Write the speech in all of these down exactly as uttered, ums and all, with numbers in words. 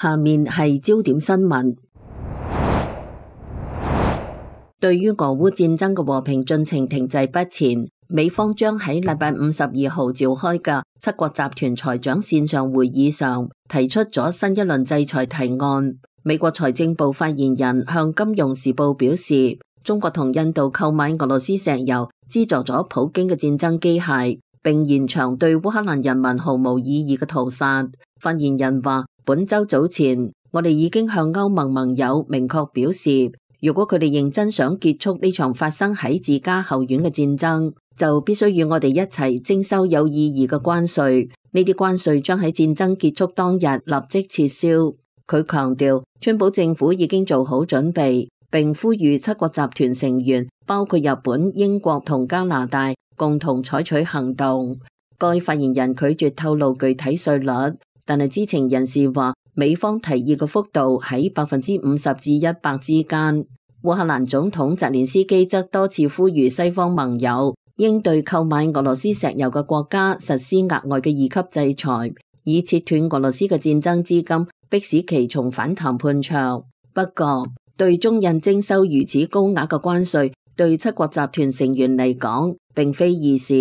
下面係焦點新聞。對於俄烏戰爭嘅和平進程停滯不前，美方將喺禮拜五十二號召開嘅七國集團財長線上會議上提出咗新一輪制裁提案。美國財政部發言人向《金融時報》表示，中國同印度購買俄羅斯石油，資助咗普京嘅戰爭機械，並延長對烏克蘭人民毫無意義嘅屠殺。發言人話，本週早前，我哋已經向歐盟盟友明確表示，如果佢哋認真想結束呢場發生喺自家後院嘅戰爭，就必須與我哋一齊徵收有意義嘅關稅。呢啲關稅將喺戰爭結束當日立即撤銷。佢強調，川普政府已經做好準備，並呼籲七國集團成員，包括日本、英國同加拿大，共同採取行動。該發言人拒絕透露具體稅率，但係知情人士話，美方提議嘅幅度喺百分之五十至一百之間。烏克蘭總統澤連斯基則多次呼籲西方盟友應對購買俄羅斯石油嘅國家實施額外嘅二級制裁，以切斷俄羅斯嘅戰爭資金，迫使其重返談判桌。不過，對中印徵收如此高額嘅關稅，對七國集團成員嚟講並非易事。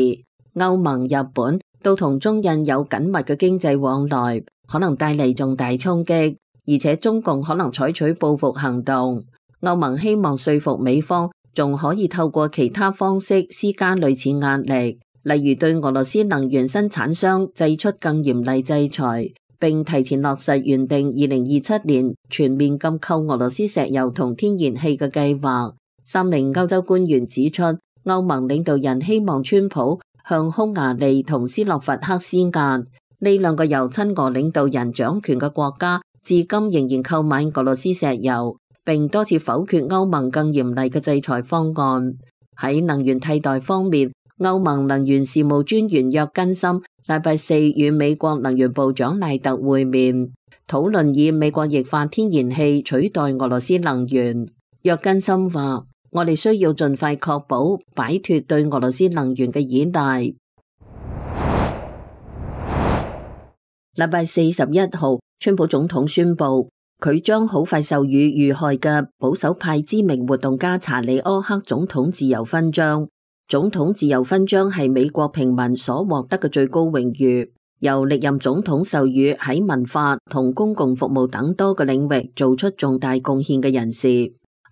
歐盟、日本都同中印有緊密嘅經濟往來，可能帶嚟重大衝擊，而且中共可能採取報復行動。歐盟希望說服美方，仲可以透過其他方式施加類似壓力，例如對俄羅斯能源生產商祭出更嚴厲制裁，並提前落實原定二零二七年全面禁購俄羅斯石油同天然氣嘅計劃。三名歐洲官員指出，歐盟領導人希望川普向匈牙利同斯洛伐克施壓，呢兩個由親俄領導人掌權嘅國家，至今仍然購買俄羅斯石油，並多次否決歐盟更嚴厲嘅制裁方案。喺能源替代方面，歐盟能源事務專員約根森禮拜四與美國能源部長賴特會面，討論以美國液化天然氣取代俄羅斯能源。約根森話，我哋需要盡快確保擺脫對俄羅斯能源嘅依賴。禮拜四十一號，川普總統宣布，佢將好快授予遇害嘅保守派知名活動家查理柯克總統自由勳章。總統自由勳章係美國平民所獲得嘅最高榮譽，由歷任總統授予喺文化同公共服務等多個領域做出重大貢獻嘅人士。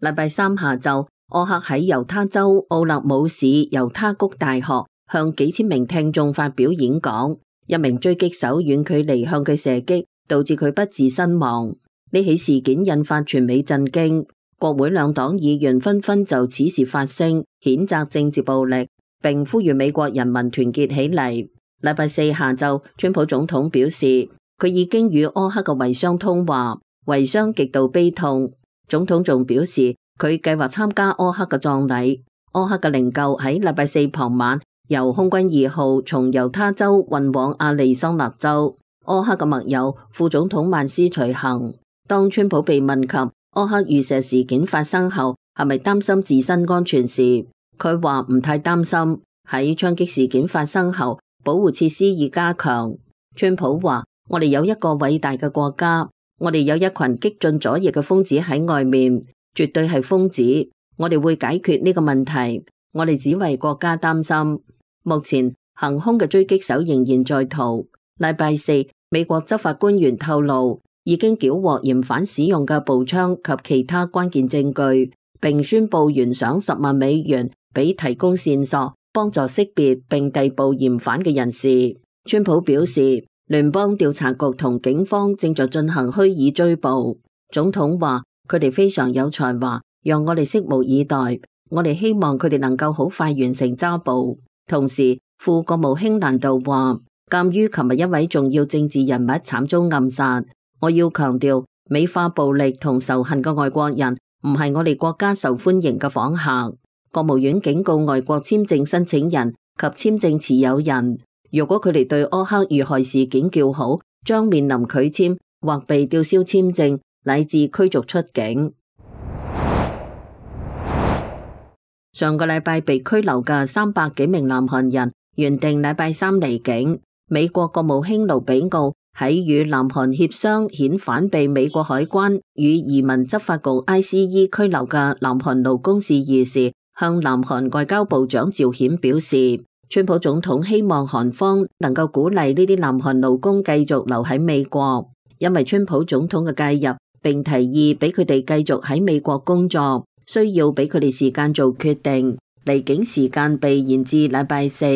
禮拜三下晝，柯克喺猶他州奧勒姆市猶他谷大學向幾千名聽眾發表演講，一名狙擊手遠距離向佢射擊，導致佢不治身亡。呢起事件引發全美震驚，國會兩黨議員紛紛就此事發聲，譴責政治暴力，並呼籲美國人民團結起嚟。禮拜四下晝，川普總統表示，佢已經與柯克嘅遺孀通話，遺孀極度悲痛。總統仲表示，佢計劃參加柯克嘅葬禮。柯克嘅靈柩喺禮拜四傍晚由空軍二號從猶他州運往亞利桑那州。柯克嘅密友副總統曼斯隨行。當川普被問及柯克遇射事件發生後係咪擔心自身安全時，佢話唔太擔心。喺槍擊事件發生後，保護設施已加強。川普話：我哋有一個偉大嘅國家，我哋有一群激進左翼嘅瘋子喺外面，絕對係瘋子。我哋會解決呢個問題，我哋只為國家擔心。目前行兇嘅狙擊手仍然在逃。禮拜四，美國執法官員透露，已經繳獲嫌犯使用嘅步槍及其他關鍵證據，並宣布懸賞十萬美元俾提供線索，幫助識別並逮捕嫌犯嘅人士。川普表示，聯邦調查局同警方正在進行虛擬追捕。總統話，佢哋非常有才華，讓我哋拭目以待。我哋希望佢哋能夠好快完成抓捕。同時，副國務卿蘭道話，鑒於琴日一位重要政治人物慘遭暗殺，我要強調，美化暴力同仇恨嘅外國人唔係我哋國家受歡迎嘅訪客。國務院警告外國簽證申請人及簽證持有人，如果佢哋對柯克遇害事件叫好，將面臨拒簽或被吊銷簽證，乃至驅逐出境。上個禮拜被拘留嘅三百幾名南韓人原定禮拜三離境。美國國務卿盧比奧喺與南韓協商遣返被美國海關與移民執法局 I C E 拘留嘅南韓勞工事宜時，向南韓外交部長趙顯表示，川普總統希望韓方能夠鼓勵呢啲南韓勞工繼續留喺美國，因為川普總統嘅介入並提議俾佢哋繼續喺美國工作，需要俾佢哋時間做決定，離境時間被延至禮拜四。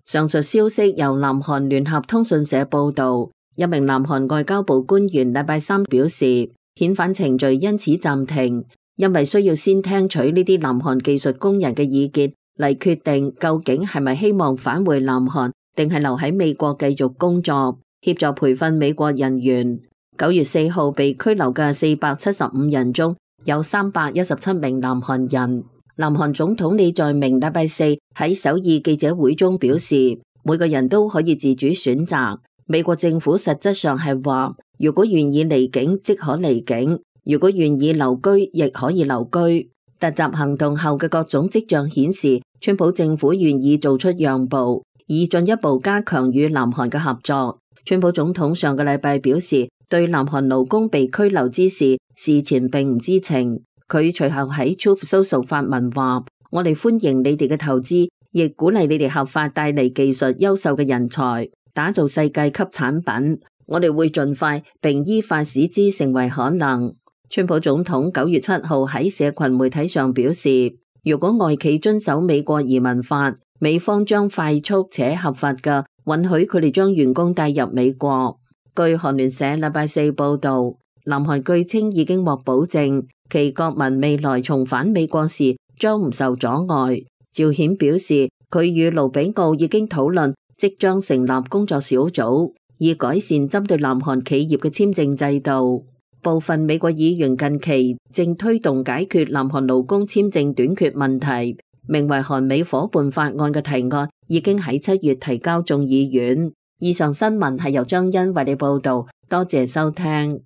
上述消息由南韓聯合通訊社報道。一名南韓外交部官員禮拜三表示，遣返程序因此暫停，因為需要先聽取呢啲南韓技術工人嘅意見嚟決定究竟係咪希望返回南韓，定係留喺美國繼續工作，協助培訓美國人員。九月四號被拘留嘅四百七十五人中，有三百一十七名南韓人。南韓總統李在明禮拜四喺首爾記者會中表示，每個人都可以自主選擇。美國政府實質上係話，如果願意離境即可離境，如果願意留居亦可以留居。突襲行動後嘅各種跡象顯示，川普政府願意做出讓步，以進一步加強與南韓嘅合作。川普總統上個禮拜表示，對南韓勞工被拘留之事，事前並唔知情。佢隨後喺 Truth Social 發文話，我哋歡迎你哋嘅投資，亦鼓勵你哋合法帶嚟技術優秀嘅人才，打造世界級產品，我哋會盡快並依法使之成為可能。川普總統九月七號喺社群媒體上表示，如果外企遵守美國移民法，美方將快速且合法嘅允許佢哋將員工帶入美國。據韓聯社禮拜四報道，南韓據稱已經獲保證，其國民未來重返美國時將唔受阻礙。趙顯表示，佢與盧比奧已經討論即將成立工作小組，以改善針對南韓企業嘅簽證制度。部分美國議員近期正推動解決南韓勞工簽證短缺問題，名為韓美夥伴法案嘅提案已經喺七月提交眾議院。以上新聞係由張欣為你報道，多謝收聽。